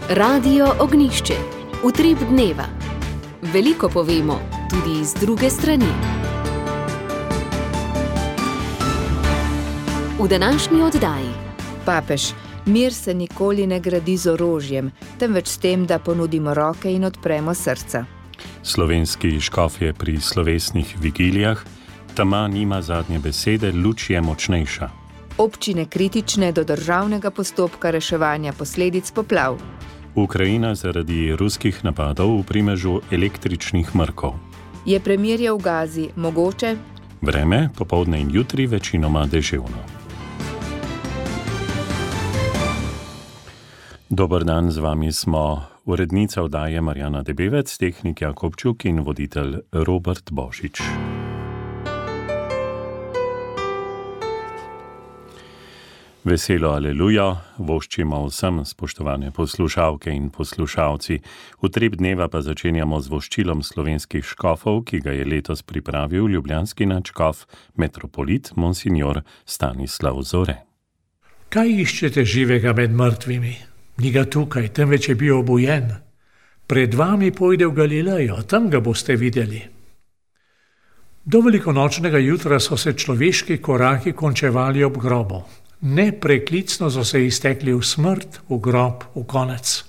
Radio Ognjišče. Utrip dneva. Veliko povemo, tudi iz druge strani. V današnji oddaji. Papež, mir se nikoli ne gradi z orožjem, temveč s tem, da ponudimo roke in odpremo srca. Slovenski škof je pri slovesnih vigilijah, tema nima zadnje besede, luč je močnejša. Občine kritične do državnega postopka reševanja posledic poplav. Ukrajina zaradi ruskih napadov v primežu električnih mrkov. Je premirje v Gazi mogoče? Vreme, popoldne in jutri večinoma deževno. Dober dan, z vami smo urednica oddaje Marjana Debevec, tehnik Jakobčuk in voditelj Robert Božič. Veselo aleluja, voščimo vsem, spoštovane poslušalke in poslušalci. Utrip dneva pa začenjamo z voščilom slovenskih škofov, ki ga je letos pripravil ljubljanski nadškof, metropolit monsignor Stanislav Zore. Kaj iščete živega med mrtvimi? Ni ga tukaj, temveč je bil obujen. Pred vami pojde v Galilejo, tam ga boste videli. Do velikonočnega jutra so se človeški koraki končevali ob grobu. Nepreklicno so se iztekli v smrt, v grob, v konec.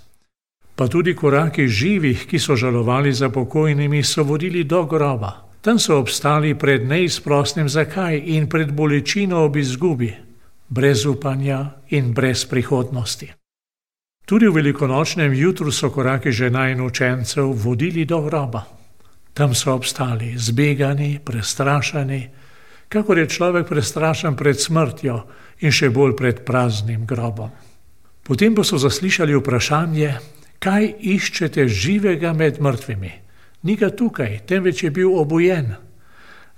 Pa tudi koraki živih, ki so žalovali za pokojnimi, so vodili do groba. Tam so obstali pred neizprosnim zakaj in pred bolečino ob izgubi, brez upanja in brez prihodnosti. Tudi v velikonočnem jutru so koraki žena in učencev vodili do groba. Tam so obstali, zbegani, prestrašeni, kakor je človek prestrašen pred smrtjo in še bolj pred praznim grobom. Potem pa so zaslišali vprašanje, kaj iščete živega med mrtvimi. Ni ga tukaj, temveč je bil obujen.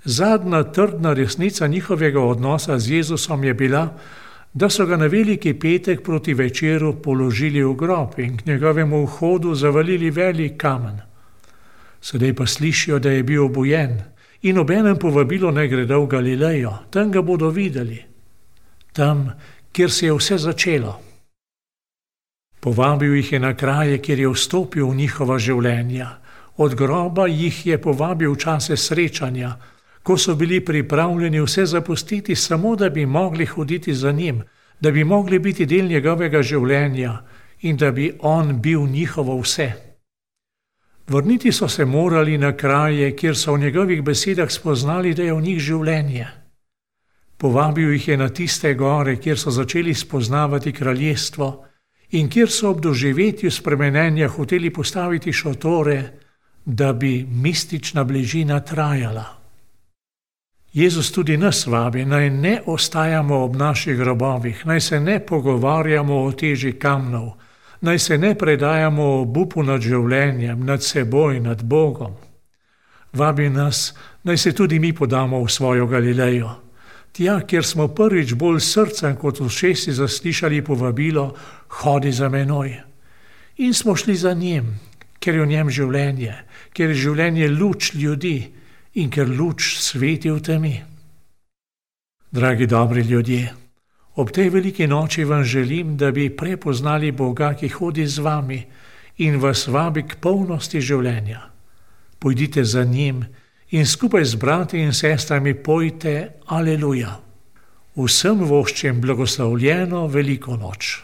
Zadnja trdna resnica njihovega odnosa z Jezusom je bila, da so ga na veliki petek proti večeru položili v grob in k njegovemu vhodu zavalili velik kamen. Sedaj pa slišijo, da je bil obujen in obenem povabilo naj gredo v Galilejo, tam ga bodo videli. Tam, kjer se je vse začelo. Povabil jih je na kraje, kjer je vstopil v njihova življenja. Od groba jih je povabil v čase srečanja, ko so bili pripravljeni vse zapustiti, samo da bi mogli hoditi za njim, da bi mogli biti del njegovega življenja in da bi on bil njihovo vse. Vrniti so se morali na kraje, kjer so v njegovih besedah spoznali, da je v njih življenje. Povabil jih je na tiste gore, kjer so začeli spoznavati kraljestvo in kjer so ob doživetju spremenenja hoteli postaviti šotore, da bi mistična bližina trajala. Jezus tudi nas vabi, naj ne ostajamo ob naših grobovih, naj se ne pogovarjamo o teži kamnov, naj se ne predajamo o obupu nad življenjem, nad seboj, nad Bogom. Vabi nas, naj se tudi mi podamo v svojo Galilejo. Tja, kjer smo prvič bolj srcem kot ušesi zaslišali povabilo, hodi za menoj. In smo šli za njim, ker je v njem življenje, ker je življenje luč ljudi in ker luč sveti v temi. Dragi dobri ljudje, ob tej veliki noči vam želim, da bi prepoznali Boga, ki hodi z vami in vas vabi k polnosti življenja. Pojdite za njim in skupaj z brati in sestrami pojte aleluja. Vsem voščim blagoslovljeno veliko noč.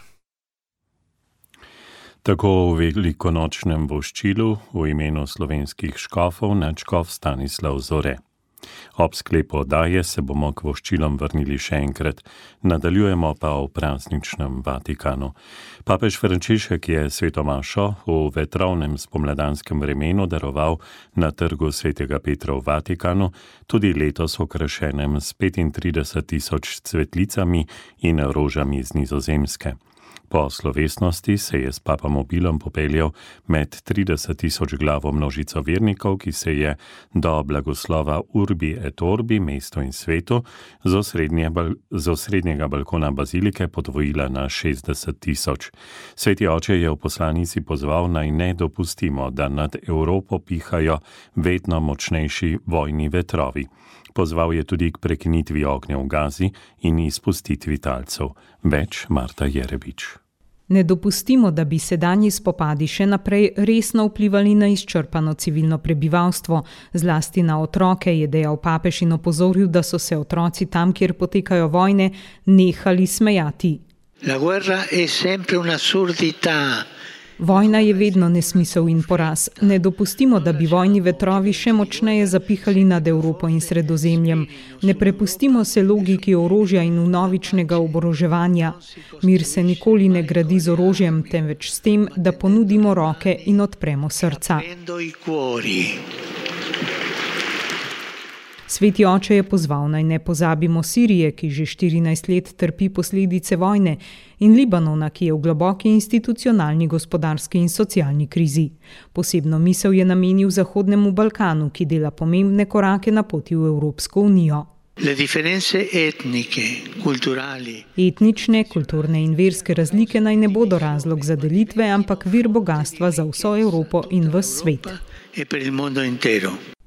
Tako v velikonočnem voščilu v imenu slovenskih škofov nadškof Stanislav Zore. Ob sklepu oddaje se bomo k voščilom vrnili še enkrat, nadaljujemo pa v prazničnem Vatikanu. Papež Frančišek je sveto mašo v vetrovnem spomladanskem vremenu daroval na trgu svetega Petra v Vatikanu, tudi letos okrašenem s 35.000 cvetlicami in rožami z Nizozemske. Po slovesnosti se je s papamobilom popeljal med 30.000 glavo množico vernikov, ki se je do blagoslova Urbi et Orbi, mesto in svetu, z osrednjega balkona bazilike podvojila na 60.000. Sveti oče je v poslanici pozval, naj ne dopustimo, da nad Evropo pihajo vedno močnejši vojni vetrovi. Pozval je tudi k prekinitvi ognja v Gazi in izpustitvi talcev. Več Marta Jerebič. Ne dopustimo, da bi sedanji spopadi še naprej resno vplivali na izčrpano civilno prebivalstvo, zlasti na otroke, je dejal papež in opozoril, da so se otroci tam, kjer potekajo vojne, nehali smejati. La guerra è sempre un'assurdità. Vojna je vedno nesmisel in poraz. Ne dopustimo, da bi vojni vetrovi še močneje zapihali nad Evropo in Sredozemljem. Ne prepustimo se logiki orožja in vnovičnega oboroževanja. Mir se nikoli ne gradi z orožjem, temveč s tem, da ponudimo roke in odpremo srca. Sveti oče je pozval, naj ne pozabimo Sirije, ki že 14 let trpi posledice vojne, in Libanona, ki je v globoki institucionalni, gospodarski in socialni krizi. Posebno misel je namenil Zahodnemu Balkanu, ki dela pomembne korake na poti v Evropsko unijo. Etnične, kulturne in verske razlike naj ne bodo razlog za delitve, ampak vir bogatstva za vso Evropo in ves svet.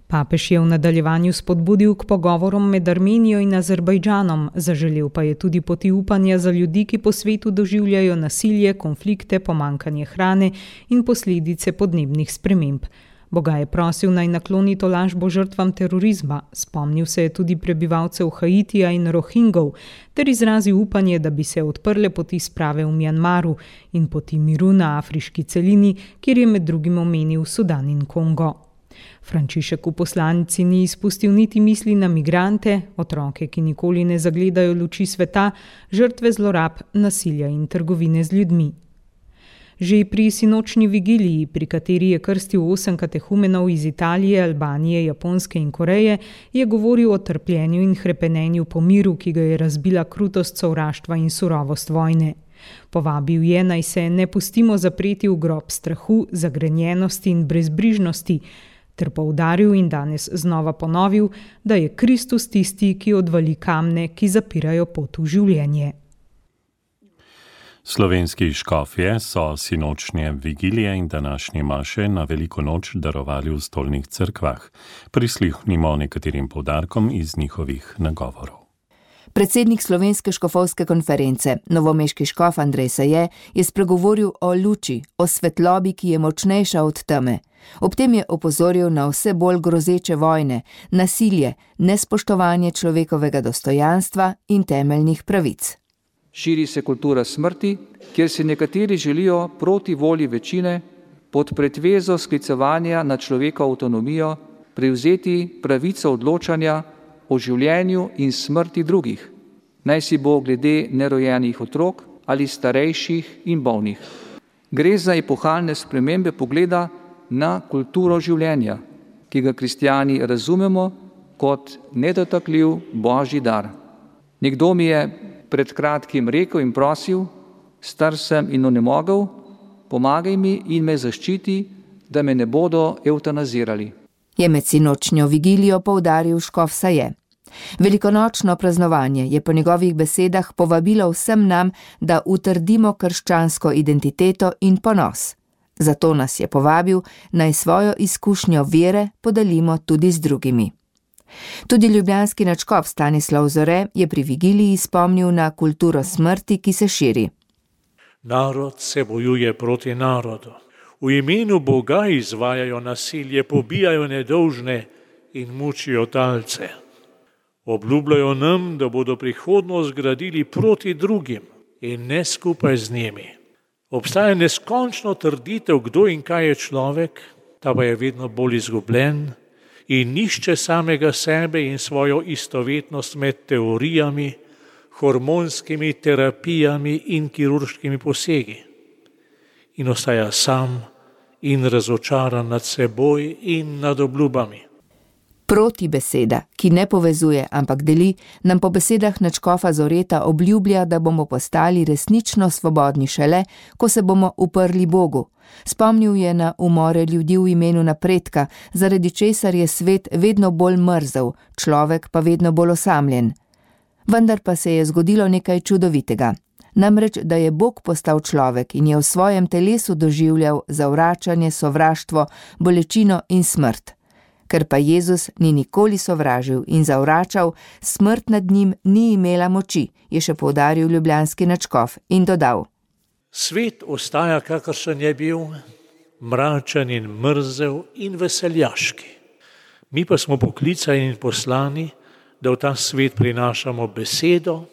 Papež je v nadaljevanju spodbudil k pogovorom med Armenijo in Azerbajdžanom, zaželel pa je tudi poti upanja za ljudi, ki po svetu doživljajo nasilje, konflikte, pomanjkanje hrane in posledice podnebnih sprememb. Boga je prosil, naj nakloni tolažbo žrtvam terorizma, spomnil se je tudi prebivalcev Haitija in Rohingov, ter izrazil upanje, da bi se odprle poti sprave v Mjanmaru in poti miru na afriški celini, kjer je med drugim omenil Sudan in Kongo. Frančišek v poslanici ni izpustil niti misli na migrante, otroke, ki nikoli ne zagledajo luči sveta, žrtve zlorab, nasilja in trgovine z ljudmi. Že pri sinočni vigiliji, pri kateri je krstil 8 katehumenov iz Italije, Albanije, Japonske in Koreje, je govoril o trpljenju in hrepenenju po miru, ki ga je razbila krutost sovraštva in surovost vojne. Povabil je, naj se ne pustimo zapreti v grob strahu, zagrenjenosti in brezbrižnosti, ter poudaril in danes znova ponovil, da je Kristus tisti, ki odvali kamne, ki zapirajo pot v življenje. Slovenski škofje so sinočnje vigilije in današnje maše na veliko noč darovali v stolnih cerkvah. Prisluhnimo nekaterim poudarkom iz njihovih nagovorov. Predsednik Slovenske škofovske konference, novomeški škof Andrej Saje, je spregovoril o luči, o svetlobi, ki je močnejša od teme. Ob tem je opozoril na vse bolj grozeče vojne, nasilje, nespoštovanje človekovega dostojanstva in temeljnih pravic. Širi se kultura smrti, kjer si nekateri želijo proti volji večine pod pretvezo sklicevanja na človekovo avtonomijo prevzeti pravico odločanja o življenju in smrti drugih, naj si bo glede nerojenih otrok ali starejših in bolnih. Gre za epohalne spremembe pogleda na kulturo življenja, ki ga kristjani razumemo kot nedotakljiv božji dar. Nekdo mi je pred kratkim rekel in prosil, star sem in onemogel, pomagaj mi in me zaščiti, da me ne bodo evtanazirali. Je med sinočnjo vigilijo poudaril škof Saje. Velikonočno praznovanje je po njegovih besedah povabilo vsem nam, da utrdimo krščansko identiteto in ponos. Zato nas je povabil, naj svojo izkušnjo vere podelimo tudi z drugimi. Tudi ljubljanski nadškof Stanislav Zore je pri vigiliji spomnil na kulturo smrti, ki se širi. Narod se bojuje proti narodu. V imenu Boga izvajajo nasilje, pobijajo nedolžne in mučijo talce. Obljubljajo nam, da bodo prihodnost gradili proti drugim in ne skupaj z njimi. Obstaja neskončno trditev, kdo in kaj je človek, ta pa je vedno bolj izgubljen in išče samega sebe in svojo istovetnost med teorijami, hormonskimi terapijami in kirurškimi posegi. In ostaja sam in razočaran nad seboj in nad obljubami. Protibeseda, ki ne povezuje, ampak deli, nam po besedah nadškofa Zoreta obljublja, da bomo postali resnično svobodni šele, ko se bomo uprli Bogu. Spomnil je na umore ljudi v imenu napredka, zaradi česar je svet vedno bolj mrzel, človek pa vedno bolj osamljen. Vendar pa se je zgodilo nekaj čudovitega. Namreč, da je Bog postal človek in je v svojem telesu doživljal zavračanje, sovraštvo, bolečino in smrt. Ker pa Jezus ni nikoli sovražil in zavračal, smrt nad njim ni imela moči, je še poudaril ljubljanski nadškof in dodal. Svet ostaja, kakršen je bil, mračen in mrzel in veseljaški. Mi pa smo poklicani in poslani, da v ta svet prinašamo besedo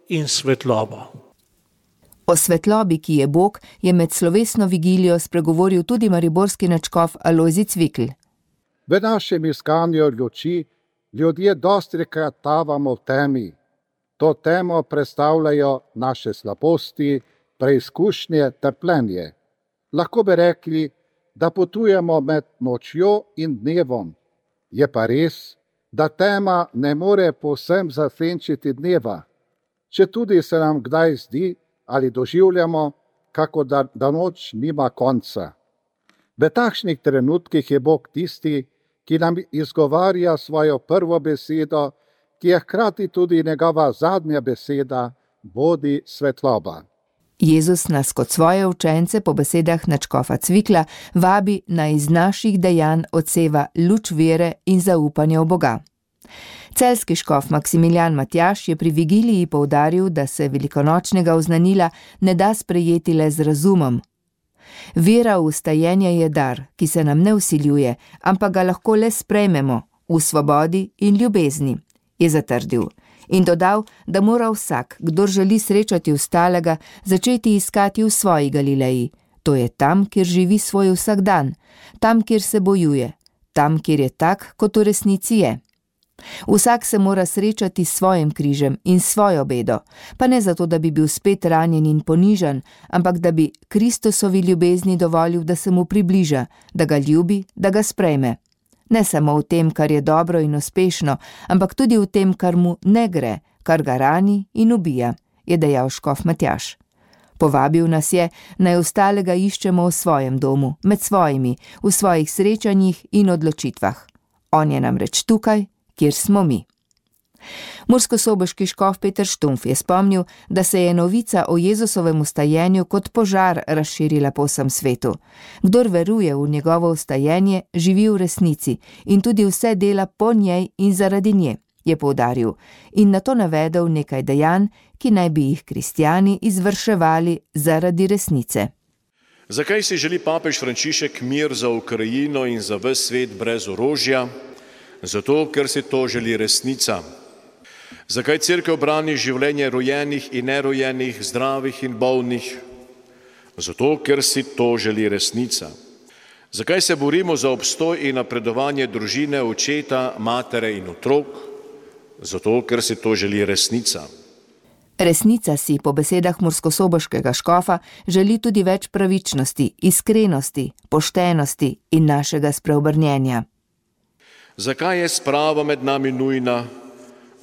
in svetlobo. O svetlobi, ki je Bog, je med slovesno vigilijo spregovoril tudi mariborski nadškof Alojzij Cvikl. V našem iskanju luči ljudje dostikrat tavamo v temi. To temo predstavljajo naše slabosti, preizkušnje, trpljenje. Lahko bi rekli, da potujemo med nočjo in dnevom. Je pa res, da tema ne more povsem zasenčiti dneva, četudi se nam kdaj zdi ali doživljamo, kako da noč nima konca. V takšnih trenutkih je Bog tisti, ki nam izgovarja svojo prvo besedo, ki je hkrati tudi njegova zadnja beseda, bodi svetloba. Jezus nas kot svoje učence po besedah nadškofa Cvikla vabi, naj iz naših dejanj odseva luč vere in zaupanja v Boga. Celjski škof Maksimilijan Matjaž je pri vigiliji poudaril, da se velikonočnega oznanila ne da sprejeti le z razumom. Vera v vstajenje je dar, ki se nam ne vsiljuje, ampak ga lahko le sprejmemo v svobodi in ljubezni, je zatrdil. In dodal, da mora vsak, kdor želi srečati vstalega, začeti iskati v svoji Galileji. To je tam, kjer živi svoj vsakdan, tam, kjer se bojuje, tam, kjer je tak, kot v resnici je. Vsak se mora srečati s svojim križem in svojo bedo, pa ne zato, da bi bil spet ranjen in ponižan, ampak da bi Kristusovi ljubezni dovolil, da se mu približa, da ga ljubi, da ga sprejme. Ne samo v tem, kar je dobro in uspešno, ampak tudi v tem, kar mu ne gre, kar ga rani in ubija, je dejal škof Matjaž. Povabil nas je, naj ostalega iščemo v svojem domu, med svojimi, v svojih srečanjih in odločitvah. On je namreč tukaj, kjer smo mi. Murskosoboški škof Peter Štumpf je spomnil, da se je novica o Jezusovem vstajenju kot požar razširila po vsem svetu. Kdor veruje v njegovo vstajenje, živi v resnici in tudi vse dela po njej in zaradi nje, je poudaril, in nato navedel nekaj dejanj, ki naj bi jih kristjani izvrševali zaradi resnice. Zakaj si želi papež Frančišek mir za Ukrajino in za ves svet brez orožja? Zato, ker si to želi resnica. Zakaj cerkev brani življenje rojenih in nerojenih, zdravih in bolnih? Zato, ker si to želi resnica. Zakaj se borimo za obstoj in napredovanje družine, očeta, matere in otrok? Zato, ker si to želi resnica. Resnica si, po besedah murskosoboškega škofa, želi tudi več pravičnosti, iskrenosti, poštenosti in našega spreobrnjenja. Zakaj je sprava med nami nujna?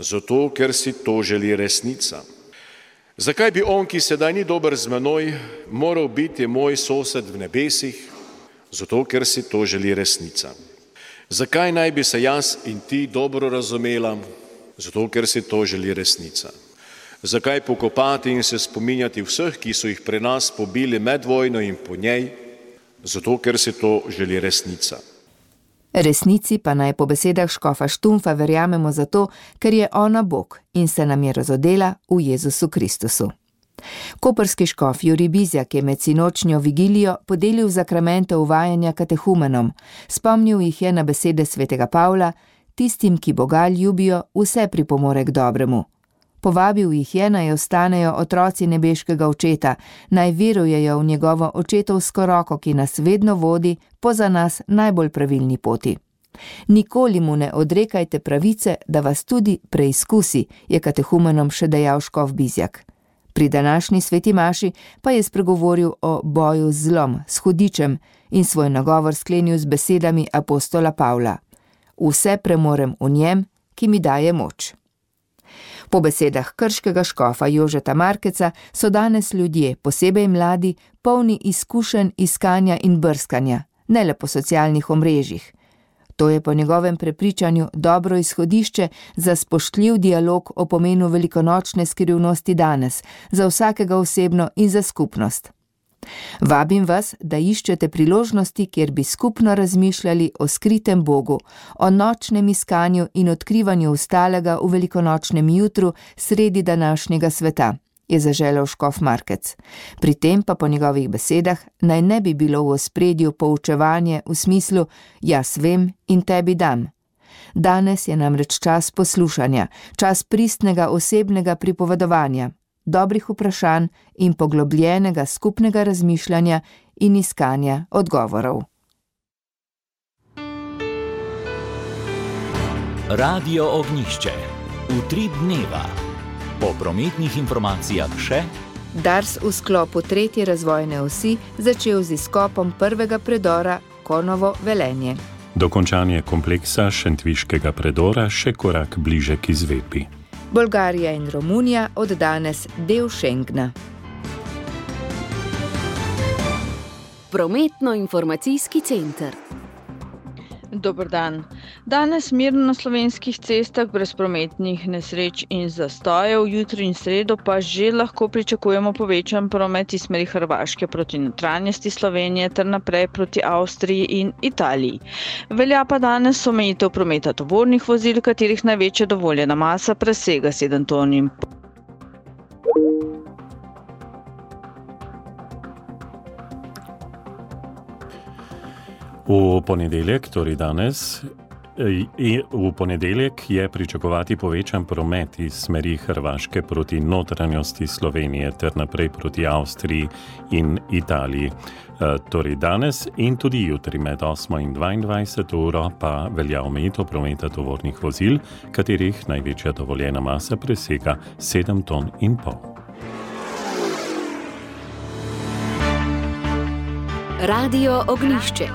Zato, ker si to želi resnica. Zakaj bi on, ki sedaj ni dober z menoj, moral biti moj sosed v nebesih? Zato, ker si to želi resnica. Zakaj naj bi se jaz in ti dobro razumela? Zato, ker si to želi resnica. Zakaj pokopati in se spominjati vseh, ki so jih pri nas pobili med vojno in po njej? Zato, ker si to želi resnica. Resnici pa naj po besedah škofa Štumpfa verjamemo zato, ker je ona Bog in se nam je razodela v Jezusu Kristusu. Koprski škof Jurij Bizjak je med sinočnjo vigilijo podelil zakramente uvajanja katehumenom. Spomnil jih je na besede svetega Pavla: tistim, ki Boga ljubijo, vse pripomore k dobremu. Povabil jih je, naj ostanejo otroci nebeškega očeta, naj verujejo v njegovo očetovsko roko, ki nas vedno vodi po za nas najbolj pravilni poti. Nikoli mu ne odrekajte pravice, da vas tudi preizkusi, je katehumenom še dejal škof Bizjak. Pri današnji sveti maši pa je spregovoril o boju z zlom, s hudičem in svoj nagovor sklenil z besedami apostola Pavla: vse premorem v njem, ki mi daje moč. Po besedah krškega škofa Jožeta Markeca so danes ljudje, posebej mladi, polni izkušenj iskanja in brskanja, ne le po socialnih omrežjih. To je po njegovem prepričanju dobro izhodišče za spoštljiv dialog o pomenu velikonočne skrivnosti danes, za vsakega osebno in za skupnost. Vabim vas, da iščete priložnosti, kjer bi skupno razmišljali o skritem Bogu, o nočnem iskanju in odkrivanju vstalega v velikonočnem jutru sredi današnjega sveta je zaželel škof Markec. Pri tem pa po njegovih besedah naj ne bi bilo v ospredju poučevanje v smislu jaz vem in tebi dam. Danes je namreč čas poslušanja, čas pristnega osebnega pripovedovanja, dobrih vprašanj in poglobljenega skupnega razmišljanja in iskanja odgovorov. Radio Ognjišče. Utrip dneva. Po prometnih informacijah še Dars v sklopu 3. razvojne osi začel z izkopom prvega predora Konovo-Velenje. Dokončanje kompleksa šentviškega predora še korak bliže k izvedbi. Bolgarija in Romunija od danes del Schengna. Prometno-informacijski center. Dober dan. Danes mirno na slovenskih cestah brez prometnih nesreč in zastojev, jutri in sredo pa že lahko pričakujemo povečan promet iz smeri Hrvaške proti notranjosti Slovenije ter naprej proti Avstriji in Italiji. Velja pa danes omejitev prometa tovornih vozil, katerih največja dovoljena masa presega 7 ton. V ponedeljek, torej danes, v ponedeljek je pričakovati povečan promet iz smeri Hrvaške proti notranjosti Slovenije ter naprej proti Avstriji in Italiji. Torej danes in tudi jutri med 8 in 22 uro pa velja omejitev prometa tovornih vozil, katerih največja dovoljena masa presega 7,5 ton. Radio Ognjišče.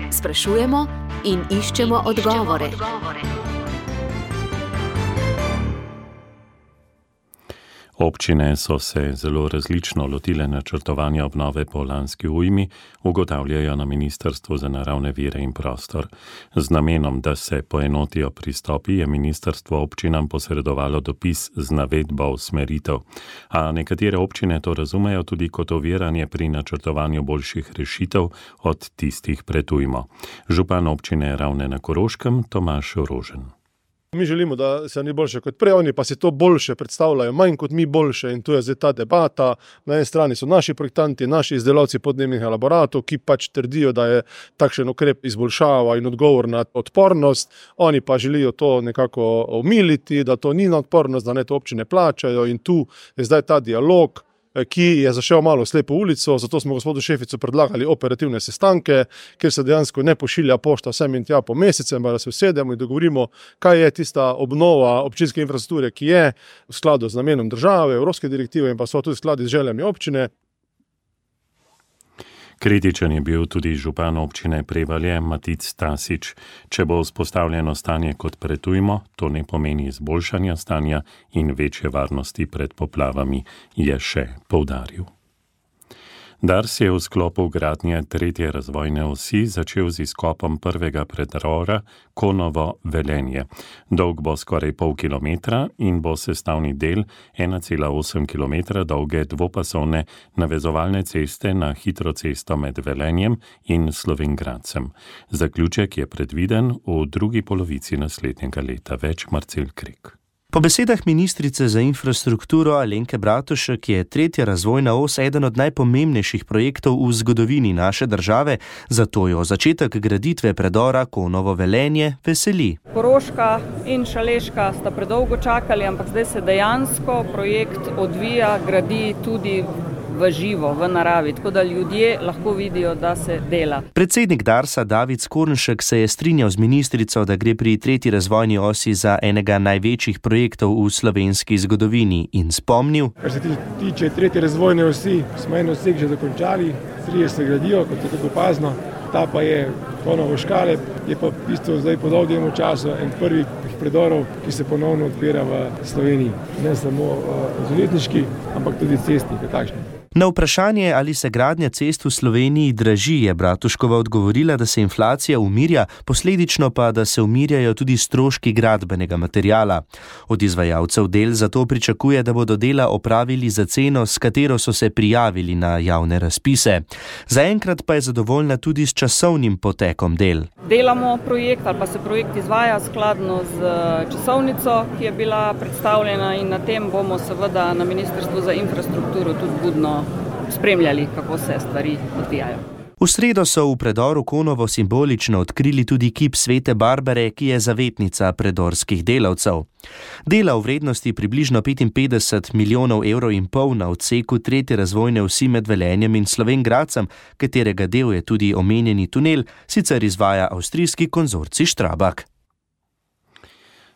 Sprašujemo in iščemo odgovore. Občine so se zelo različno lotile načrtovanja obnove po lanski ujmi, ugotavljajo na Ministrstvu za naravne vire in prostor. Z namenom, da se poenotijo pristopi, je ministrstvo občinam posredovalo dopis z navedbo usmeritev. A nekatere občine to razumejo tudi kot oviranje pri načrtovanju boljših rešitev od tistih pred ujmo. Župan občine Ravne na Koroškem Tomaž Rožen. Mi želimo, da se ni boljše kot prej, oni pa si to boljše predstavljajo, manj kot mi boljše, in tu je zdaj ta debata. Na eni strani so naši projektanti, naši izdelavci podnebnih elaboratov, ki pač trdijo, da je takšen ukrep izboljšava in odgovor na odpornost, oni pa želijo to nekako omiliti, da to ni na odpornost, da ne to občine plačajo, in tu je zdaj ta dialog, ki je zašel malo slepo ulico, zato smo gospodu Šeficu predlagali operativne sestanke, kjer se dejansko ne pošilja pošta sem in tja po mesecem, da se usedemo in dogovorimo, kaj je tista obnova občinske infrastrukture, ki je v skladu z namenom države, evropske direktive in pa so tudi v skladu z željami občine. Kritičen je bil tudi župan občine Prevalje Matic Stasič. Če bo vzpostavljeno stanje kot pred ujmo, to ne pomeni izboljšanja stanja in večje varnosti pred poplavami, je še poudaril. Dars je v sklopu gradnje 3. razvojne osi začel z izkopom prvega predora Konovo-Velenje. Dolg bo skoraj pol kilometra in bo sestavni del 1,8 kilometra dolge dvopasovne navezovalne ceste na hitro cesto med Velenjem in Slovenj Gradcem. Zaključek je predviden v drugi polovici naslednjega leta. Več Marcel Krik. Po besedah ministrice za infrastrukturo Alenke Bratušek je 3. razvojna os eden od najpomembnejših projektov v zgodovini naše države, zato jo začetek graditve predora Konovo-Velenje veseli. Koroška in Šaleška sta predolgo čakali, ampak zdaj se dejansko projekt odvija, gradi tudi v živo, v naravi, tako da ljudje lahko vidijo, da se dela. Predsednik Darsa David Skornšek se je strinjal z ministrico, da gre pri 3. razvojni osi za enega največjih projektov v slovenski zgodovini in spomnil. Kar se tiče 3. razvojne osi, smo en odsek že dokončali, 3 se gradijo, kot je tako opazno, ta pa je Konovo-Škale, je pa v bistvu zdaj po dolgem času en prvih predorov, ki se ponovno odpira v Sloveniji. Ne samo železniški, ampak tudi cestni, takšni. Na vprašanje, ali se gradnja cest v Sloveniji draži, je Bratuškova odgovorila, da se inflacija umirja, posledično pa, da se umirjajo tudi stroški gradbenega materiala. Od izvajalcev del zato pričakuje, da bodo dela opravili za ceno, s katero so se prijavili na javne razpise. Zaenkrat pa je zadovoljna tudi s časovnim potekom del. Delamo projekt ali pa se projekt izvaja skladno z časovnico, ki je bila predstavljena, in na tem bomo seveda na Ministrstvu za infrastrukturo tudi budno spremljali, kako se stvari odvijajo. V sredo so v predoru Konovo simbolično odkrili tudi kip Svete Barbare, ki je zavetnica predorskih delavcev. Dela v vrednosti približno 55 milijonov evrov in pol na odseku 3. razvojne osi med Velenjem in Slovenj Gradcem, katerega del je tudi omenjeni tunel, sicer izvaja avstrijski konzorcij Strabag.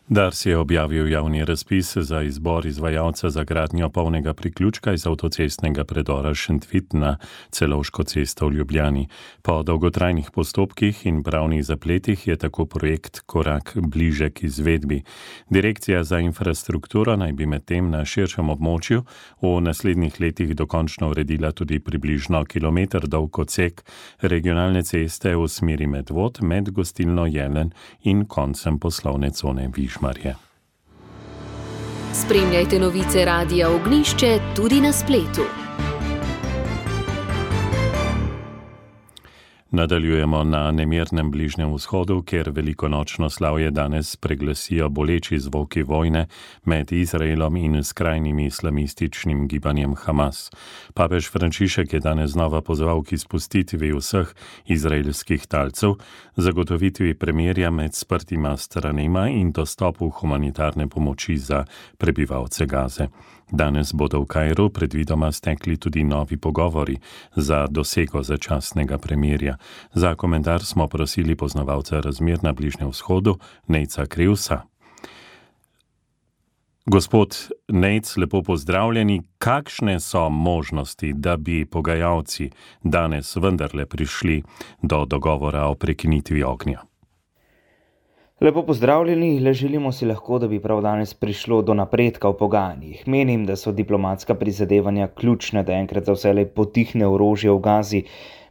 Dars je objavil javni razpis za izbor izvajalca za gradnjo polnega priključka iz avtocestnega predora Šentvit na Celovško cesto v Ljubljani. Po dolgotrajnih postopkih in pravnih zapletih je tako projekt korak bliže k izvedbi. Direkcija za infrastrukturo naj bi medtem na širšem območju v naslednjih letih dokončno uredila tudi približno kilometer dolg odsek regionalne ceste v smeri Medvod med gostilno Jelen in koncem poslovne cone Višmarje. Spremljajte novice Radia Ognjišče tudi na spletu. Nadaljujemo na nemirnem Bližnjem vzhodu, kjer velikonočno slavje danes preglasijo boleči zvoki vojne med Izraelom in skrajnim islamističnim gibanjem Hamas. Papež Frančišek je danes znova pozval k izpustitvi vseh izraelskih talcev, zagotovitvi premirja med sprtima stranema in dostopu humanitarne pomoči za prebivalce Gaze. Danes bodo v Kairu predvidoma stekli tudi novi pogovori za dosego začasnega premirja. Za komentar smo prosili poznavalca razmer na Bližnjem vzhodu, Nejca Krivsa. Gospod Nejc, lepo pozdravljeni. Kakšne so možnosti, da bi pogajalci danes vendarle prišli do dogovora o prekinitvi ognja? Lepo pozdravljeni, le želimo si lahko, da bi prav danes prišlo do napredka v pogajanjih. Menim, da so diplomatska prizadevanja ključne, da enkrat za vselej potihne orožje v Gazi.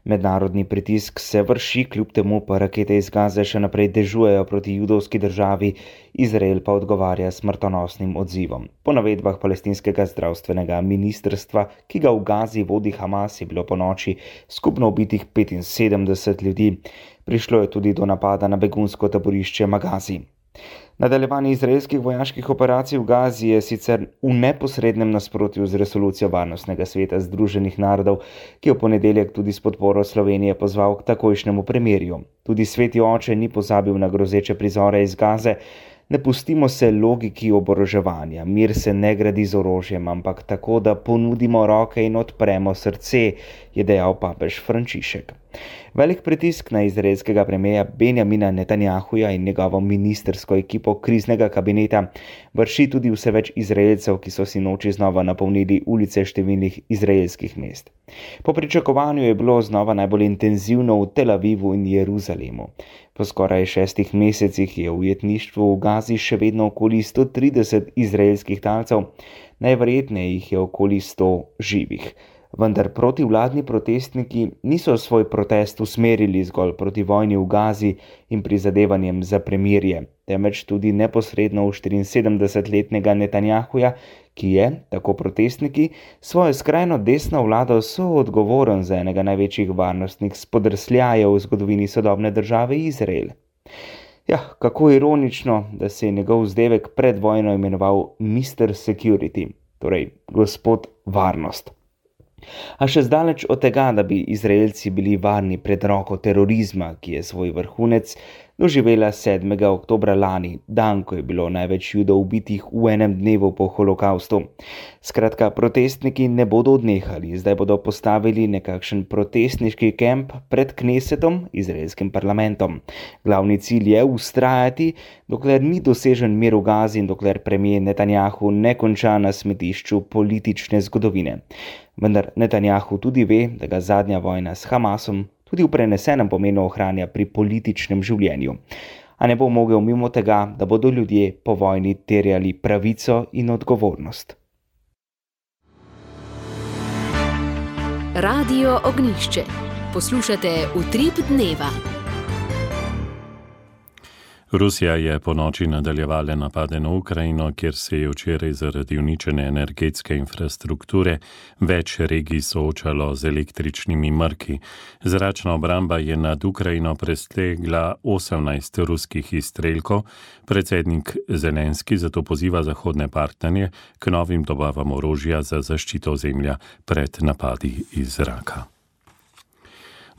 Mednarodni pritisk se vrši, kljub temu pa rakete iz Gaze še naprej dežujejo proti judovski državi, Izrael pa odgovarja smrtonosnim odzivom. Po navedbah palestinskega zdravstvenega ministrstva, ki ga v Gazi vodi Hamas, je bilo ponoči skupno ubitih 75 ljudi. Prišlo je tudi do napada na begunsko taborišče Magazi. Nadaljevanje izraelskih vojaških operacij v Gazi je sicer v neposrednem nasprotju z resolucijo Varnostnega sveta Združenih narodov, ki je v ponedeljek tudi s podporo Slovenije pozval k takojšnjemu premirju. Tudi Sveti oče ni pozabil na grozeče prizore iz Gaze. Ne pustimo se logiki oboroževanja, mir se ne gradi z orožjem, ampak tako, da ponudimo roke in odpremo srce, je dejal papež Frančišek. Velik pritisk na izraelskega premierja Benjamina Netanjahuja in njegovo ministrsko ekipo kriznega kabineta vrši tudi vse več Izraelcev, ki so si noči znova napolnili ulice številnih izraelskih mest. Po pričakovanju je bilo znova najbolj intenzivno v Tel Avivu in Jeruzalemu. Po skoraj 6 mesecih je v ujetništvu v Gazi še vedno okoli 130 izraelskih talcev, najverjetneje jih je okoli 100 živih. Vendar protivladni protestniki niso svoj protest usmerili zgolj proti vojni v Gazi in prizadevanjem za premirje, temveč tudi neposredno v 74-letnega Netanjahuja, ki je, tako protestniki, svojo skrajno desno vlado soodgovoren za enega največjih varnostnih spodrsljajev v zgodovini sodobne države Izrael. Ja, kako ironično, da se je njegov vzdevek pred vojno imenoval Mr. Security, torej gospod varnost. A še zdaleč od tega, da bi Izraelci bili varni pred roko terorizma, ki je svoj vrhunec doživela 7. oktobra lani, dan, ko je bilo največ Judov ubitih v enem dnevu po holokaustu. Skratka, protestniki ne bodo odnehali, zdaj bodo postavili nekakšen protestniški kemp pred Knesetom, izraelskim parlamentom. Glavni cilj je vztrajati, dokler ni dosežen mir v Gazi in dokler premier Netanjahu ne konča na smetišču politične zgodovine. Vendar Netanjahu tudi ve, da ga zadnja vojna s Hamasom tudi v prenesenem pomenu ohranja pri političnem življenju. A ne bo mogel mimo tega, da bodo ljudje po vojni terjali pravico in odgovornost. Radio Ognišče. Poslušate Utrip dneva. Rusija je po noči nadaljevala napade na Ukrajino, kjer se je včeraj zaradi uničene energetske infrastrukture več regij soočalo z električnimi mrki. Zračna obramba je nad Ukrajino presegla 18 ruskih izstrelkov. Predsednik Zelenski zato poziva zahodne partnerje k novim dobavam orožja za zaščito ozemlja pred napadi iz zraka.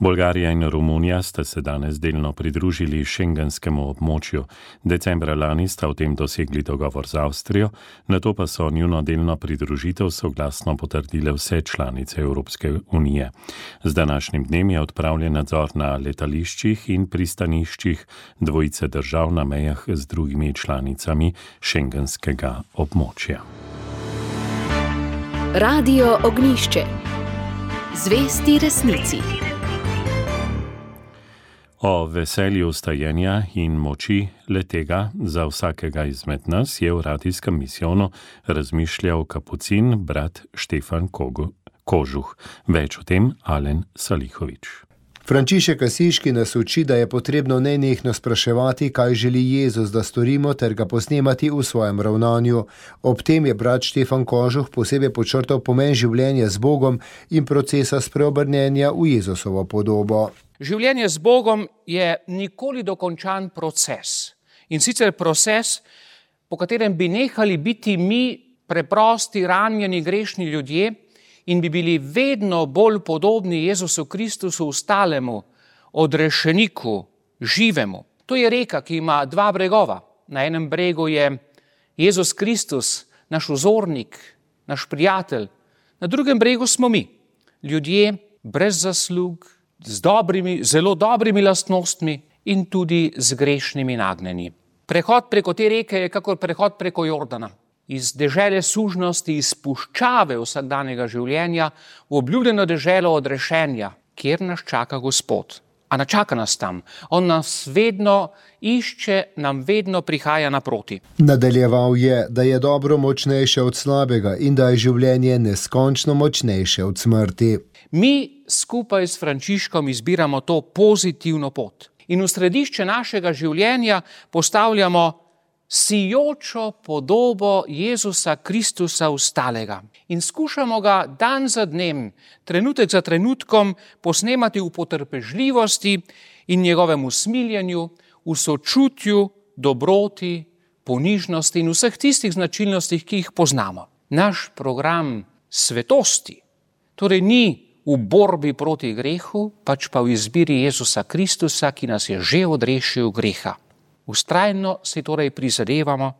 Bolgarija in Romunija sta se danes delno pridružili šengenskemu območju. Decembra lani sta o tem dosegli dogovor z Avstrijo, nato pa so njuno delno pridružitev soglasno potrdile vse članice Evropske unije. Z današnjim dnem je odpravljen nadzor na letališčih in pristaniščih dvojice držav na mejah z drugimi članicami šengenskega območja. Radio Ognišče. Zvesti resnici. O veselju stajenja in moči letega za vsakega izmed nas je v radijskem misijonu razmišljal kapucin brat Štefan Kožuh. Več o tem Alen Salihovič. Frančišek Asiški nas uči, da je potrebno nenehno spraševati, kaj želi Jezus, da storimo, ter ga posnemati v svojem ravnanju. Ob tem je brat Štefan Kožuh posebej podčrtal pomen življenja z Bogom in procesa spreobrnjenja v Jezusovo podobo. Življenje z Bogom je nikoli dokončan proces. In sicer proces, po katerem bi nehali biti mi preprosti, ranjeni, grešni ljudje in bi bili vedno bolj podobni Jezusu Kristusu, ostalemu, odrešeniku, živemu. To je reka, ki ima dva bregova. Na enem bregu je Jezus Kristus, naš vzornik, naš prijatelj. Na drugem bregu smo mi, ljudje brez zaslug, z zelo dobrimi lastnostmi in tudi z grešnimi nagnjenji. Prehod preko te reke je kakor prehod preko Jordana. Iz dežele sužnosti, iz puščave vsakdanjega življenja v obljubljeno deželo odrešenja, kjer nas čaka Gospod. A ne čaka nas tam. On nas vedno išče, nam vedno prihaja naproti. Nadaljeval je, da je dobro močnejše od slabega in da je življenje neskončno močnejše od smrti. Mi skupaj s Frančiškom izbiramo to pozitivno pot in v središče našega življenja postavljamo sijočo podobo Jezusa Kristusa ostalega in skušamo ga dan za dnem, trenutek za trenutkom posnemati v potrpežljivosti in njegovem usmiljenju, v sočutju, dobroti, ponižnosti in vseh tistih značilnostih, ki jih poznamo. Naš program svetosti torej ni v borbi proti grehu, pač pa v izbiri Jezusa Kristusa, ki nas je že odrešil greha. Vztrajno si torej prizadevamo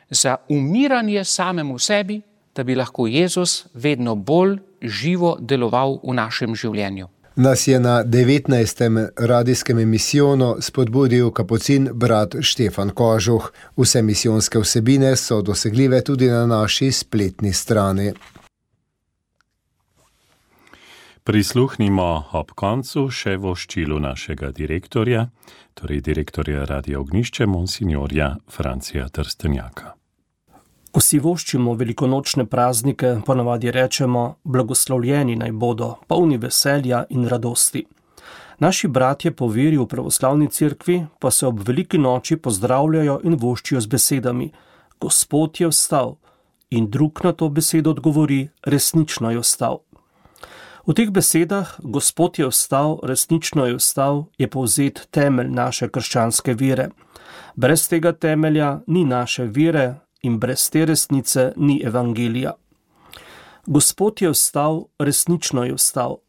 za umiranje samemu sebi, da bi lahko Jezus vedno bolj živo deloval v našem življenju. Nas je na 19. radijskem misijonu spodbudil kapucin brat Štefan Kožuh. Vse misijonske vsebine so dosegljive tudi na naši spletni strani. Prisluhnimo ob koncu še voščilu našega direktorja, torej direktorja Radia Ognišče, monsignorja Francija Trstenjaka. Ko si voščimo velikonočne praznike, ponavadi rečemo, blagoslovljeni naj bodo, polni veselja in radosti. Naši bratje po veri v pravoslavni cerkvi pa se ob veliki noči pozdravljajo in voščijo z besedami: Gospod je vstal, in drug na to besedo odgovori: resnično je vstal. V teh besedah, Gospod je vstal, resnično je vstal, je povzet temelj naše krščanske vere. Brez tega temelja ni naše vere in brez te resnice ni evangelija. Gospod je vstal, resnično je vstal.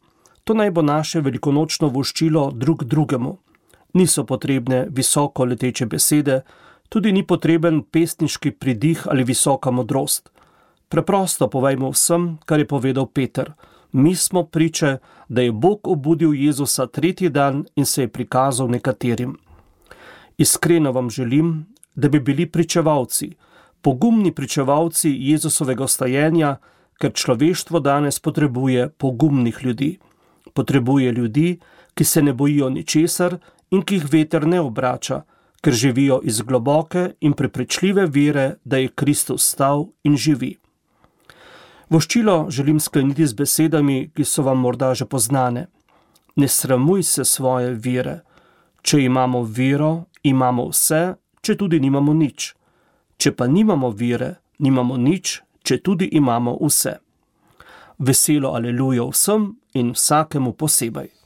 To naj bo naše velikonočno voščilo drug drugemu. Niso potrebne visoko leteče besede, tudi ni potreben pesniški pridih ali visoka modrost. Preprosto povejmo vsem, kar je povedal Peter. Mi smo priče, da je Bog obudil Jezusa tretji dan in se je prikazal nekaterim. Iskreno vam želim, da bi bili pričevalci, pogumni pričevalci Jezusovega vstajenja, ker človeštvo danes potrebuje pogumnih ljudi. Potrebuje ljudi, ki se ne bojijo ničesar in ki jih veter ne obrača, ker živijo iz globoke in prepričljive vere, da je Kristus vstal in živi. Voščilo želim skleniti z besedami, ki so vam morda že poznane. Ne sramuj se svoje vere. Če imamo vero, imamo vse, če tudi nimamo nič. Če pa nimamo vere, nimamo nič, če tudi imamo vse. Veselo alelujo vsem in vsakemu posebej.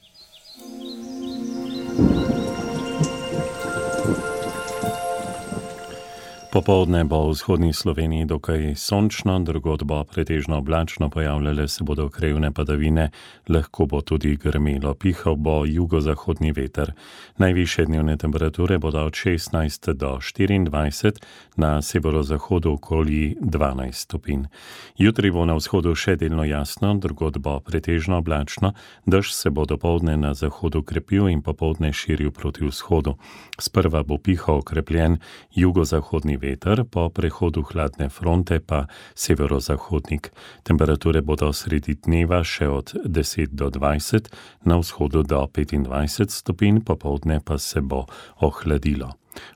Popoldne bo v vzhodni Sloveniji dokaj sončno, drugod bo pretežno oblačno, pojavljale se bodo krajevne padavine, lahko bo tudi grmelo, pihal bo jugozahodni veter. Najvišje dnevne temperature bodo od 16 do 24, na severozahodu okoli 12 stopinj. Jutri bo na vzhodu še delno jasno, drugod bo pretežno oblačno, dež se bo dopoldne na zahodu krepil in popoldne širil proti vzhodu. Sprva bo pihal okrepljen jugozahodni veter, po prehodu hladne fronte pa severozahodnik. Temperature bodo sredi dneva še od 10 do 20, na vzhodu do 25 stopinj, popoldne pa se bo ohladilo.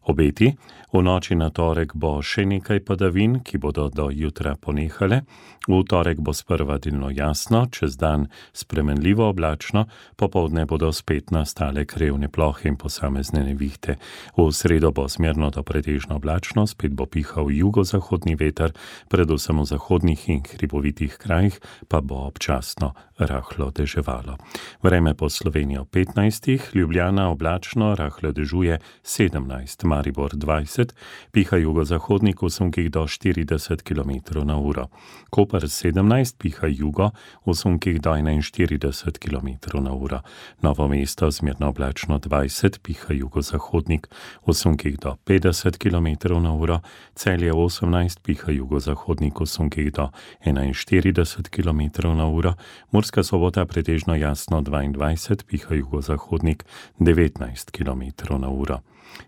Obeti, v noči na torek bo še nekaj padavin, ki bodo do jutra ponehale. V torek bo sprva delno jasno, čez dan spremenljivo oblačno, popoldne bodo spet nastale krajevne plohe in posamezne nevihte. V sredo bo smerno do pretežno oblačno, spet bo pihal jugozahodni veter, predvsem v zahodnih in hribovitih krajih pa bo občasno rahlo deževalo. Vreme po Slovenijo 15, Ljubljana oblačno, rahlo dežuje 17, Maribor 20, piha jugozahodnik v sunkih do 40 km na uro. Koper 17, piha jugo v sunkih do 41 km na uro. Novo mesto zmerno oblačno 20, piha jugozahodnik v sunkih do 50 km na uro. Celje 18, piha jugozahodnik v sunkih do 41 km na uro. Murska Sobota pretežno jasno 22, piha jugozahodnik 19 km na uro.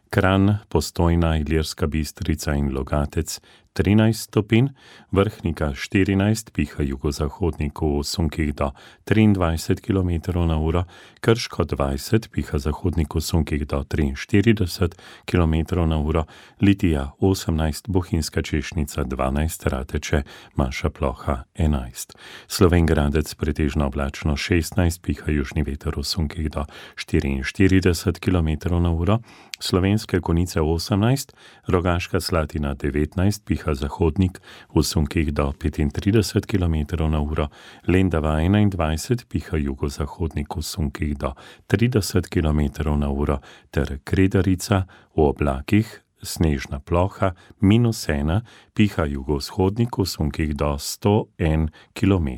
Kranj, Postojna, Ilirska Bistrica in Logatec 13 stopinj, Vrhnika 14, piha jugozahodnik v sunkih do 23 km na uro, Krško 20, piha zahodnik v sunkih do 43 km na uro, Litija 18, Bohinjska Češnica 12, Rateče, manjša ploha 11. Slovenj Gradec pretežno oblačno 16, piha južni veter v sunkih do 44 km na uro, Slovenske Konjice 18, Rogaška Slatina 19, piha zahodnik v sunkih do 35 km na uro, Lendava 21, piha jugozahodnik v sunkih do 30 km na uro, ter Kredarica v oblakih, snežna ploha -1, piha jugovzhodnik v sunkih do 101 km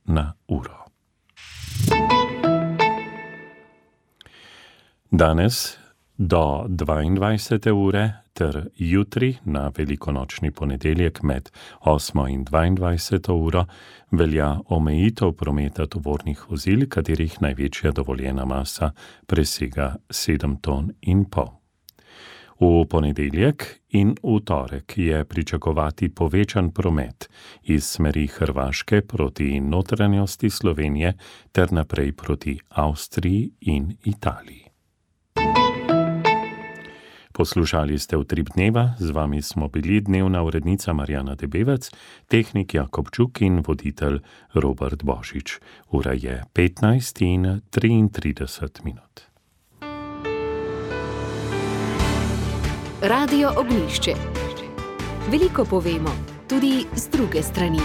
na uro. Danes do 22. ure ter jutri na velikonočni ponedeljek med 8. in 22. uro velja omejitev prometa tovornih vozil, katerih največja dovoljena masa presega 7,5 ton. V ponedeljek in v torek je pričakovati povečan promet iz smeri Hrvaške proti notranjosti Slovenije ter naprej proti Avstriji in Italiji. Poslušali ste Utrip dneva, z vami smo bili dnevna urednica Marjana Debevec, tehnik Jakobčuk in voditelj Robert Božič. Ura je 15:33. Radio Ognjišče. Veliko povemo, tudi z druge strani.